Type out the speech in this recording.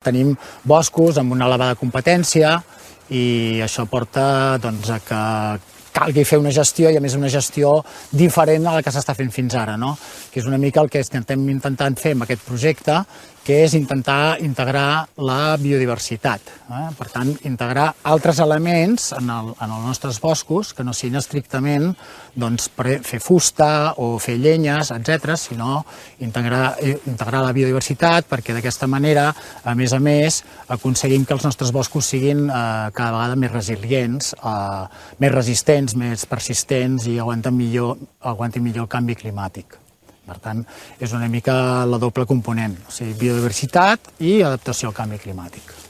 Tenim boscos amb una elevada competència i això porta a que calgui fer una gestió i a més una gestió diferent a la que s'està fent fins ara, que és una mica el que estem intentant fer amb aquest projecte, que és intentar integrar la biodiversitat. Per tant, integrar altres elements en els nostres boscos que no siguin estrictament per fer fusta o fer llenyes, etc., sinó integrar la biodiversitat perquè d'aquesta manera, a més, aconseguim que els nostres boscos siguin cada vegada més resilients, més resistents, més persistents i aguantin millor el canvi climàtic. Per tant, és una mica la doble component, o sigui, biodiversitat i adaptació al canvi climàtic.